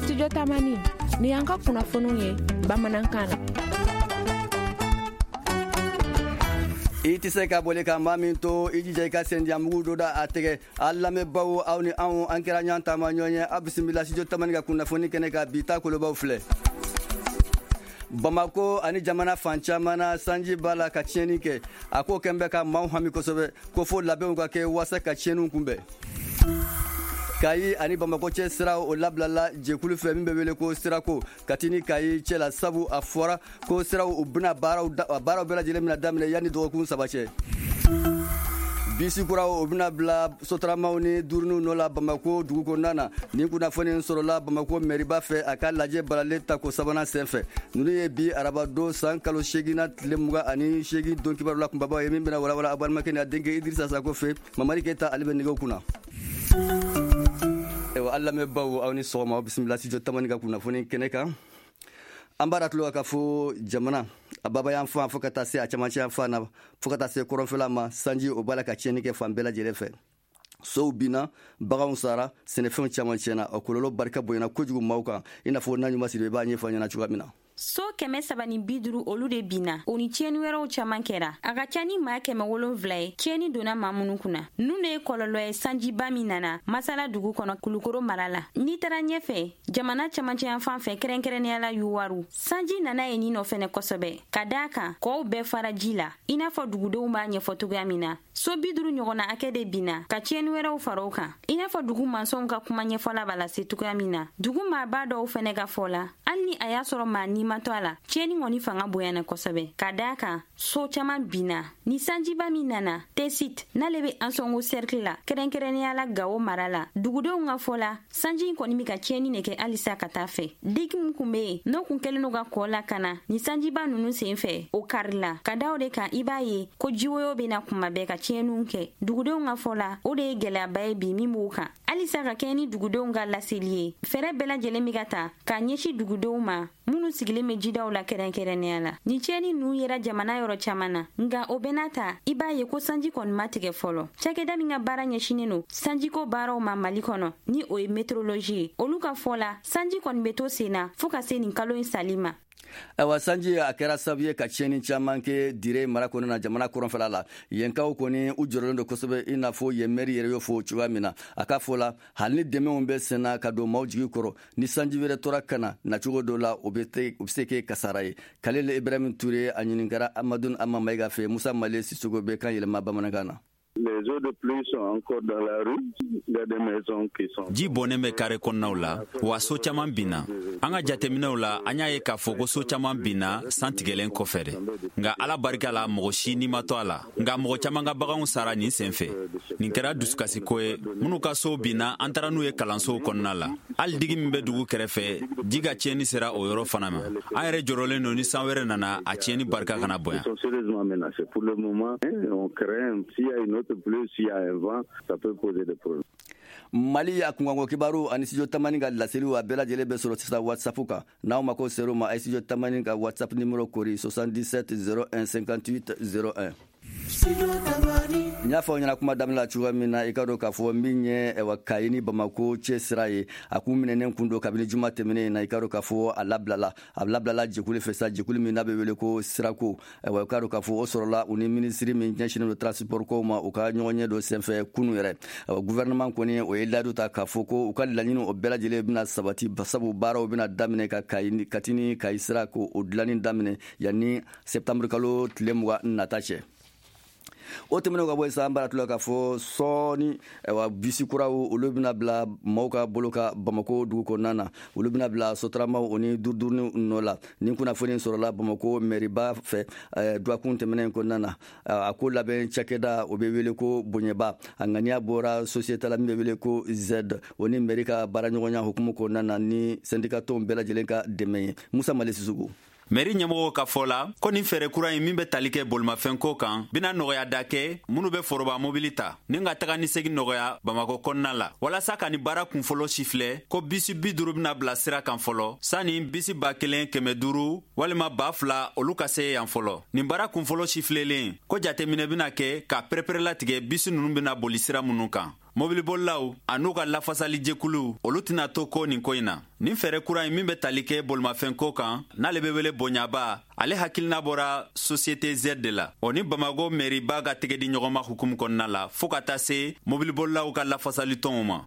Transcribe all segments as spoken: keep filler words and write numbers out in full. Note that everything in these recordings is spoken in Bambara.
Studio Tamani, ni y'an ka kunnafoniw ye bamanankan na. I tɛ se ka boli ka maa min to, i jija i ka sendiyamugu dɔ da a tɛgɛ. A lamɛnbaw, aw ni anw, an kɛra ɲɔgɔn taama ɲɔgɔn ye. Aw bisimila Studio Tamani ka kunnafoni kɛnɛ kan. Bi ta kolobaw filɛ: Bamako ani jamana fan caman na, sanji b'a la ka tiɲɛni kɛ. A ko kɛn bɛ ka maaw hami kosɛbɛ, ko fo labɛnw ka kɛ waasa ka tiɲɛniw kunbɛn. Kayi ani Bamakɔ cɛ sira, o labilala jɛkulu fɛ min bɛ wele ko Sirako, Kati ni Kayi cɛ la, sabu a fɔra ko siraw u bɛna baaraw baaraw bɛɛ lajɛlen bɛna daminɛ yanni dɔgɔkun saba cɛ. Bisi kuraw, o bɛna bila sotaramaw ni duuruninw nɔ la Bamako dugu kɔnɔna na. Nin kunnafoni sɔrɔla Bamako mɛriba fɛ a ka lajɛ balalen tako sabanan senfɛ. Ninnu ye bi arabadon, san kalo seeginna, tile mugan ani seegin don kibaru la kunbabaw ye, min bɛna walawala a balimakɛ ni a denkɛ Idirisa Sako fɛ. Mamari Keyita, ale bɛ nɛgɛw kunna. Ayiwa, an lamɛnbaw, aw ni sɔgɔma. Aw bisimila Studio Tamani ka kunnafoni kɛnɛ kan. An b'a tulo ka fɔ jamana a baba yan fan, fo ka taa se a camancɛ yan fan na, fo ka taa se kɔrɔnfɛla ma, sanji o b'a la ka tiɲɛni kɛ fan bɛɛ lajɛlen fɛ. Sow binna, baganw sara, sɛnɛfɛnw caman tiɲɛna. O kɔlɔlɔ barika bonyana kojugu maaw kan, i n'a fɔ n'a ɲuman siri i b'a ɲɛfɔ ɲɛna cogoya min na. So kɛmɛ saba ni bi duuru, olu de binna. O ni tiɲɛni wɛrɛw caman kɛra. A ka ca ni maa kɛmɛ wolonfila ye tiɲɛni donna maa minnu kunna. Ninnu de ye kɔlɔlɔ ye sanjiba min nana Masala dugu kɔnɔ, Kulukoro mara la. N'i taara ɲɛfɛ jamana camancɛyanfan fɛ, kɛrɛnkɛrɛnnenya la Yuwaru, sanji nana yen nin nɔ fɛnɛ kosɛbɛ, ka daa kan kɔw bɛɛ fara ji la. I n'a fɔ dugudenw b'a ɲɛfɔ cogoya min na, so bi duuru ɲɔgɔnna hakɛ de binna, ka tiɲɛni wɛrɛw fara o kan. I n'a fɔ dugu mansɔnw ka kuma ɲɛfɔla b'a lase cogoya min na, dugu maaba dɔw fɛnɛ ka fɔ la, hali ni a y'a sɔrɔ maa ni ma to a la, tiɲɛni kɔni fanga bonyana kosɛbɛ, ka daa kan so caman binna. Ni sanjiba min nana Tesit, n'ale bɛ Ansɔngo cercle la, kɛrɛnkɛrɛnnenya la Gawo mara la, dugudenw ka fɔ la, sanji in kɔni bɛ ka tiɲɛni de kɛ halisa ka taa fɛ. Digi min kun bɛ yen, n'o kun kɛlen don ka kɔ lakana ni sanjiba ninnu sen fɛ, o karila. Ka da o de kan, i b'a ye ko jiwoyo bɛ na kuma bɛɛ ka tiɲɛniw kɛ. Dugudenw ka fɔ la, o de ye gɛlɛyaba ye bi min b'u kan halisa. Ka kɛɲɛ ni dugudenw ka laseli ye, fɛɛrɛ bɛɛ lajɛlen bɛ ka ta k'a ɲɛsin dugudenw ma minnu sigilen bɛ jidaw la kɛrɛnkɛrɛnnenya la. Ni tiɲɛni ninnu yera jamana yɔrɔ caman na, nka o bɛɛ n'a ta, i b'a ye ko sanji kɔni ma tigɛ fɔlɔ. Cakɛda min ka baara ɲɛsinnen don sanjiko baaraw ma Mali kɔnɔ, ni o ye météorologie ye, olu ka fɔ la, sanji kɔni bɛ to sen na fɔɔ ka se nin kalo in sali ma. Ayiwa, sanji a kɛra sababu ye ka tiɲɛni caman kɛ Dire mara kɔnɔna na, jamana kɔrɔnfɛla la. Yenkaw kɔni, u jɔrɔlen don kosɛbɛ, i n'a fɔ yen mɛri yɛrɛ y'o fɔ cogoya min na. A ka fɔ la, hali ni dɛmɛw bɛ senna ka don maaw jigi kɔrɔ, ni sanji wɛrɛ tora ka na nacogo dɔ la, o bɛ o bɛ se kɛ kasara ye. Kalil Ibrahim Ture, a ɲininkara Amadou Ama Mayiga fɛ. Musa Male Sisoko bɛ kan yɛlɛma bamanankan na. Les eaux de pluie sont encore dans la rue. Il y a des maisons qui sont. Ji bɔnnen bɛ kare kɔnɔnaw la, wa so caman binna. An ka jateminɛw la, an y'a ye k'a fɔ ko so caman binna san tigɛlen kɔfɛ dɛ. Nka Ala barika la, mɔgɔ si ni ma to a la, nka mɔgɔ caman ka baganw sara nin sen fɛ. Nin kɛra dusukasiko ye. Minnu ka sow binna, an taara n'u ye kalansow kɔnɔna la. Hali digi min bɛ dugu kɛrɛfɛ, ji ka tiɲɛni sera o yɔrɔ fana ma. An yɛrɛ jɔrɔlen don, ni san wɛrɛ nana, a tiɲɛni barika kana bonya. Ils sont sérieusement menacés. Pour le moment, on craint, s'il y a une autre pluie, s'il y a un vent, ça peut poser des problèmes. Mali a kunkanko kibaru ani Studio Tamani ka laseliw, a bɛɛ lajɛlen bɛ sɔrɔ sisan WhatsApp kan. N'aw mako ser'o ma, a ye Studio Tamani ka WhatsApp numéro kori: soixante-dix-sept zéro un cinquante-huit zéro un. N y'a fɔ aw ɲɛna kuma daminɛ la cogoya min na, i ka dɔn k'a fɔ min ye, ɛwa, Kayi ni Bamako cɛ sira ye, a kun minɛnen kun don kabini juma tɛmɛnen na. I ka dɔn k'a fɔ a labilala a labilala jɛkulu fɛ sa, jɛkulu min n'a bɛ wele ko Sirako. Ɛwa, i ka dɔn k'a fɔ o sɔrɔla u ni minisiri min ɲɛsinnen don transport kow ma, u ka ɲɔgɔn ɲɛ dɔ senfɛ kunu yɛrɛ. Ɛwa, gouvernement kɔni, o ye layidu ta k'a fɔ ko u ka laɲini, o bɛɛ lajɛlen bɛna sabati, sabu baaraw bɛna daminɛ ka Kayi, Kati ni Kayi sira, ko o dilanni daminɛ yanni septembre kalo tile mugan nata cɛ. O tɛmɛnen ka bɔ yen sa, an b'a tila k'a fɔ sɔɔni, ayiwa, bisi kuraw, olu bɛna bila maaw ka bolo ka Bamako dugu kɔnɔna na. Olu bɛna bila sotaramaw o ni duuruduurunin nɔ la. Nin kunnafoni sɔrɔla Bamako mɛriba fɛ dɔgɔkun tɛmɛnen kɔnɔna na. A ko labɛn cakɛda, o bɛ wele ko Bonyɛba. A ŋaniya bɔra société la min bɛ wele ko Z, o ni mɛri ka baaraɲɔgɔnya hukumu kɔnɔna na, ni syndicat tɔnw bɛɛ lajɛlen ka dɛmɛ ye. Musa Mali Sisugu. Mɛri ɲɛmɔgɔw ka fɔ la ko nin fɛɛrɛ kura in min bɛ tali kɛ bolimafɛnko kan, bena nɔgɔya da kɛ minnu bɛ foroba mobili ta ni ka taga ni segin nɔgɔya Bamako kɔnɔna la. Walasa ka nin baara kunfɔlɔ sifilɛ, ko bisi bi duru bena bila sira kan fɔlɔ, sanni bisi ba kelen kɛmɛ duuru walima ba fila olu ka se yan fɔlɔ. Nin baara kunfɔlɔ sifilelen ko jateminɛ bena kɛ ka pereperelatigɛ bisi nunu bena boli sira minnu kan. Mobilibolilaw an'u ka lafasalijɛkulu, olu tɛna to ko nin ko in na. Nin fɛɛrɛ kura in min bɛ tali kɛ bolimafɛnko kan, n'ale bɛ wele bonyaba, ale hakilina bɔra Société Z de la. O ni Bamako mɛriba ka tɛgɛ di ɲɔgɔn ma hukumu kɔnɔna la, fo ka taa se mobilibolilaw ka lafasalitɔnw ma.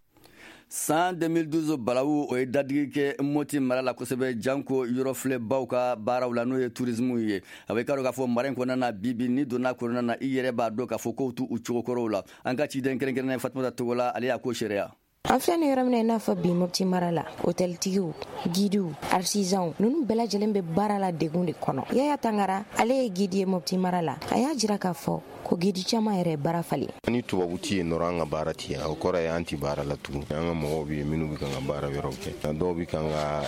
San deux mille douze balawu, o ye dadigi kɛ Moti mara la kosɛbɛ, janko yɔrɔ filɛbaw ka baaraw la, n'o ye tourisme ye. A bɛ k'a dɔn k'a fɔ mara in kɔnɔna na, bibi ni donna kɔnɔna na, i yɛrɛ b'a dɔn k'a fɔ kow t'u cogokɔrɔw la. An ka ciden kɛrɛnkɛrɛnnen Fatumata Togola, ale y'a ko seereya. An filɛ nin yɔrɔ min na, i n'a fɔ bi, Mopti mara la, hôteltigiw, guidew, artisanw, ninnu bɛɛ lajɛlen bɛ baara la degun de kɔnɔ. Yaya Tangara, ale ye guide ye Mopti mara la. A y'a jira k'a fɔ ko guide caman yɛrɛ baara falen. Ni tubabu ti yen dɔrɔn, an ka baara ti yen. O kɔrɔ ye an ti baara la tugun. An ka mɔgɔw bɛ yen minnu bɛ kan ka baara wɛrɛw kɛ. Dɔw bɛ kan ka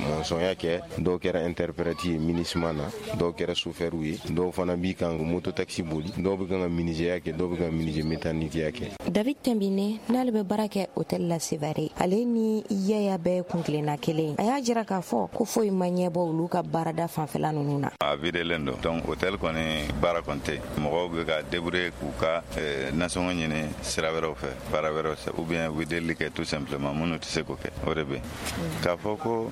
mɔnsɔnya kɛ, dɔw kɛra interprète ye MINUSMA na, dɔw kɛra chauffeur ye, dɔw fana b'i kan ka moto taxi boli, dɔw bɛ kan ka menuisier kɛ, dɔw bɛ kan ka menuisier métallique kɛ. David Tembine, n'ale bɛ baara kɛ hôtel la Sevare, ale ni Yaya bɛɛ kun kelenna kelen. A y'a jira k'a fɔ ko foyi ma ɲɛbɔ olu ka baarada fanfɛla ninnu na. A videlen don, donc hôtel kɔni baara kɔni tɛ. Mɔgɔw bɛ ka débrouiller k'u ka nasɔngɔ ɲini sira wɛrɛw fɛ, baara wɛrɛw fɛ, ou bien u bɛ delili kɛ tout simplement. Minnu tɛ se k'o kɛ, o de bɛ yen. K'a fɔ ko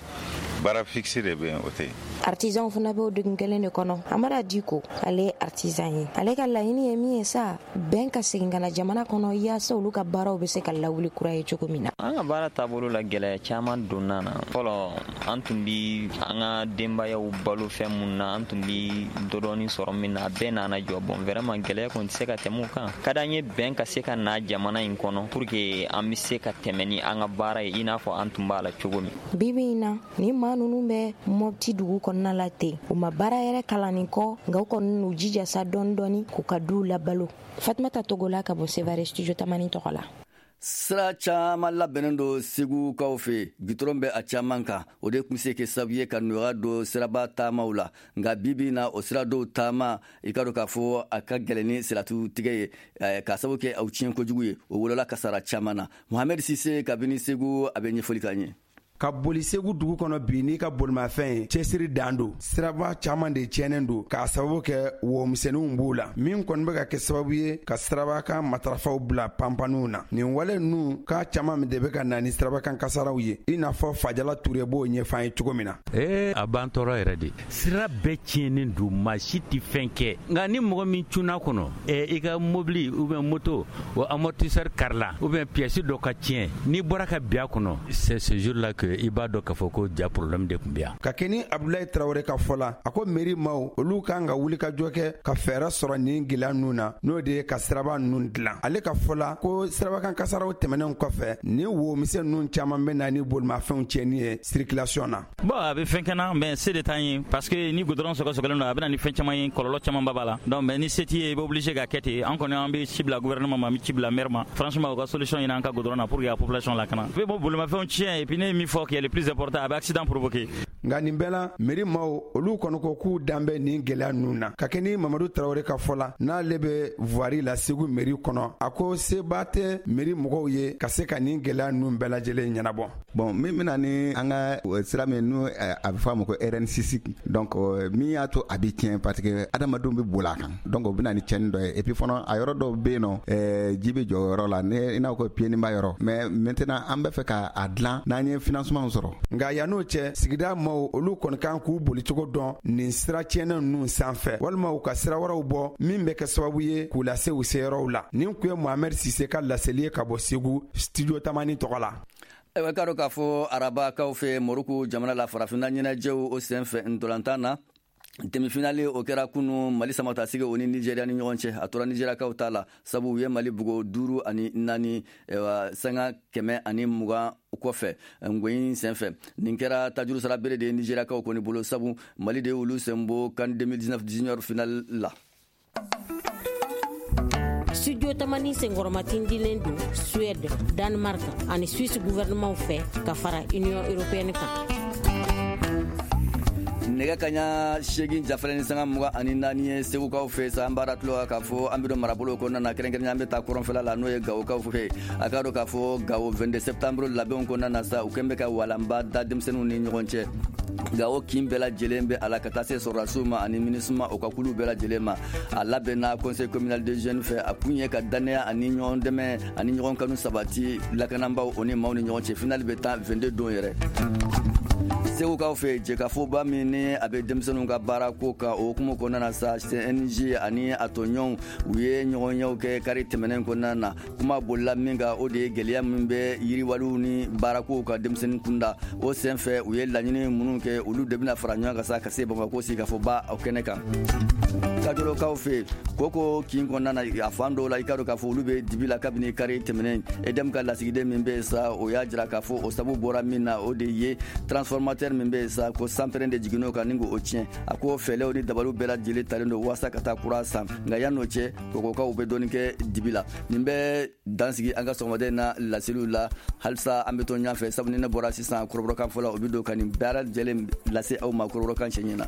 baara fixe de bɛ yen, o tɛ yen. Artisanw fana bɛ o degun kelen de kɔnɔ. Amara Diko, ale ye artisan ye. Ale ka laɲini ye min ye sa, bɛn ka segin ka na jamana kɔnɔ, yaasa olu ka baaraw bɛ se ka lawuli kura ye cogo min na. An ka baara taabolo la, gɛlɛya caman donna na. Fɔlɔ, an tun bi an ka denbayaw balo fɛn mun na, an tun bi dɔdɔɔni sɔrɔ min na, a bɛɛ nana jɔ. Bon, vraiment, gɛlɛya kɔni tɛ se ka tɛmɛ o kan. Ka d'an ye bɛn ka se ka na jamana in kɔnɔ pour que an bɛ se ka tɛmɛ ni an ka baara ye i n'a fɔ an tun b'a la cogo min. Bibi in na, ni maa ninnu bɛ Mɔpti dugu kɔnɔna la ten, u ma baara yɛrɛ kalannin kɔ, nka u kɔni n'u jija sa dɔɔni dɔɔni k'u ka duw labalo. Fatumata Togola ka bɔ Sevare, Studio Tamani tɔgɔ la. Sira caman labɛnnen don Segukaw fɛ, gitɔrɔn bɛ a caman kan. O de tun se kɛ sababu ye ka nɔgɔya don siraba taamaw la. Nka bibi na, o sira dɔw taama, i ka dɔn k'a fɔ a ka gɛlɛn ni siratu tigɛ ye, k'a sababu kɛ aw tiɲɛ kojugu ye. O wolola kasara caman na. Mohamɛd Sise kabini Segu, a bɛ ɲɛfɔli k'an ye. Ka boli Segu dugu kɔnɔ bi n'i ka bolimafɛn ye, cɛsiri dan don. Siraba caaman de tiɲɛnen don k'a sababu kɛ womisɛnninw b'u la, min kɔni bɛ ka kɛ sababu ye ka sirabakan matarafaw bila panpaniw na. Nin wale ninnu k'a caaman de bɛ ka na ni sirabakan kasaraw ye, i n'a fɔ Fajala Ture b'o ɲɛfɔ an ye cogo min na. Ee, a b'an tɔɔrɔ yɛrɛ de. Sira bɛɛ tiɲɛnen don, maa si tɛ fɛn kɛ. Nka ni mɔgɔ min cunna kɔnɔ, i ka mobili ou bien moto, o amortisseur karila ou bien pièce dɔ ka tiɲɛ, n'i bɔra ka bin a kɔnɔ, c'est ce jour là que i b'a dɔn k'a fɔ ko ja problème de tun bɛ yan. Ka kɛ ni Abdulayi Tarawele ka fɔ la, a ko mairie maaw, olu kan ka wuli ka jɔ kɛ ka fɛɛrɛ sɔrɔ nin gɛlɛya ninnu na, n'o de ye ka siraba ninnu dilan. Ale ka fɔ la ko sirabakan kasaraw tɛmɛnen kɔfɛ, nin womisɛn ninnu caman bɛ na ni bolimafɛnw tiɲɛni ye circulation na. Bon, a bɛ fɛn kɛ na, mais se de t'an ye, parce que ni goudron sɔgɔsɔgɔlen don, a bɛ na ni fɛn caman ye, kɔlɔlɔ camanba b'a la. Donc mais ni se t'i ye, i bɛ obligé ka kɛ ten. An kɔni, an bɛ ci bila gouvernement ma, an bɛ ci bila maire ma. Franchement, u ka solution ɲini an ka goudron na pour que ka population lakana. A bɛ bolimafɛnw tiɲɛ, et puis ne ye min fɔ qui est le plus important, a bɛ accident provoquer. Nka nin bɛɛ la, mairie maaw, olu kɔni ko k'u dan bɛ nin gɛlɛya ninnu na. Ka kɛ ni Mamadu Tarawele ka fɔ la, n'ale bɛ voirie la Segu mairie kɔnɔ, a ko seba tɛ mairie mɔgɔw ye ka se ka nin gɛlɛya ninnu bɛɛ lajɛlen ɲɛnabɔ. Bon, min bɛna ni an ka sira min n'o a bɛ fɔ a ma ko R N six, donc min y'a to a bɛ tiɲɛ, parce que adamadenw bɛ boli a kan, donc o bɛ na ni tiɲɛni dɔ ye. Et puis fana, a yɔrɔ dɔw bɛ yen nɔ, ji bɛ jɔ o yɔrɔ la, ne i n'a fɔ pieds ba yɔrɔ. Mais maintenant, an bɛ fɛ k'a dilan n'an ye financement sɔrɔ. Nka yann'o cɛ, sigida maaw, olu kɔni kan k'u bolicogo dɔn nin sira tiɲɛnen ninnu sanfɛ, walima u ka sira wɛrɛw bɔ min bɛ kɛ sababu ye k'u lase u seyɔrɔw la. Nin kun ye Mohamɛd Sise ka laseli ye ka bɔ Segu, Studio Tamani tɔgɔ la. Ayiwa, k'a dɔn k'a fɔ arabakaw fɛ, Moroko jamana la, farafinna ɲɛnajɛw o senfɛ, ntolantan na, demi-finale o kɛra kunu, Mali samatasigi o ni Nigéria ni ɲɔgɔn cɛ. A tora Nigériakaw ta la, sabu u ye Mali bugo duuru ani naani, sanga kɛmɛ ani mugan kɔfɛ ngoyin senfɛ. Nin kɛra tajuru sara bere de ye Nigériakaw kɔni bolo, sabu Mali de ye olu sen bɔ CAN deux mille dix-neuf junior finale la. Studio Tamani senkɔrɔmatindilen don Suède, Danemark ani Suisse gouvernement fɛ ka fara Union européenne kan. Nɛgɛ kaɲa seegin jafalen ni sanga mugan ani naani ye Segukaw fɛ sa. An b'a tulo k'a fɔ an bɛ don marabolo kɔnɔna na, kɛrɛnkɛrɛnnenya an bɛ taa kɔrɔnfɛla la, n'o ye Gawokaw fɛ. A k'a dɔn k'a fɔ Gawo vingt-deux septembre labɛnw kɔnɔna na sa, u kɛn bɛ ka walanba da denmisɛnninw ni ɲɔgɔn cɛ. Gawo kin bɛɛ lajɛlen bɛ a la, ka taa se sɔrɔdasiw ma ani MINUSMA o ka kulu bɛɛ lajɛlen ma. A labɛnna Conseil communal des jeunes fɛ. A kun ye ka dannaya ani ɲɔgɔn dɛmɛ ani ɲɔgɔn kanu sabati lakanabaaw o ni maaw ni ɲɔgɔn cɛ. Finale bɛ taa vingt-deux don yɛrɛ. Segukaw fɛ, jɛkafoba min ni a bɛ denmisɛnninw ka baara ko kan, o hukumu kɔnɔna na sa, C N J ani a tɔɲɔgɔnw, u ye ɲɔgɔnyew kɛ kari tɛmɛnen kɔnɔna na. Kuma bolila min kan, o de ye gɛlɛya min bɛ yiriwaliw ni baarakow ka denmisɛnnin kunda. O senfɛ, u ye laɲini minnu kɛ, olu de bɛna fara ɲɔgɔn kan sa ka se Bamakɔ sigikafɔba o kɛnɛ kan. Kajolokaw fɛ, koko kin kɔnɔna na, a fan dɔw la, i ka dɔn k'a fɔ olu bɛ dibi la kabini kari tɛmɛnen. E D M ka lasigiden min bɛ yen sa, o y'a jira k'a fɔ o sabu bɔra min na, o de ye transformateur min bɛ yen sa, ko sanpɛrɛn de jiginn'o kan ni k'o tiɲɛ. A ko fɛlɛw ni dabaliw bɛɛ lajɛlen talen don walasa ka taa kura san, nka yan'o cɛ, kokokaw bɛ dɔɔni kɛ dibi la. Nin bɛ dansigi an ka sɔgɔmaden na laseliw la. Halisa an bɛ to ɲɔgɔn fɛ, sabu ni ne bɔra sisan, kɔrɔbɔrɔkan fɔlɔ o bɛ don ka nin bɛɛ lajɛlen lase aw ma kɔrɔbɔrɔkan cɛɲɛ na.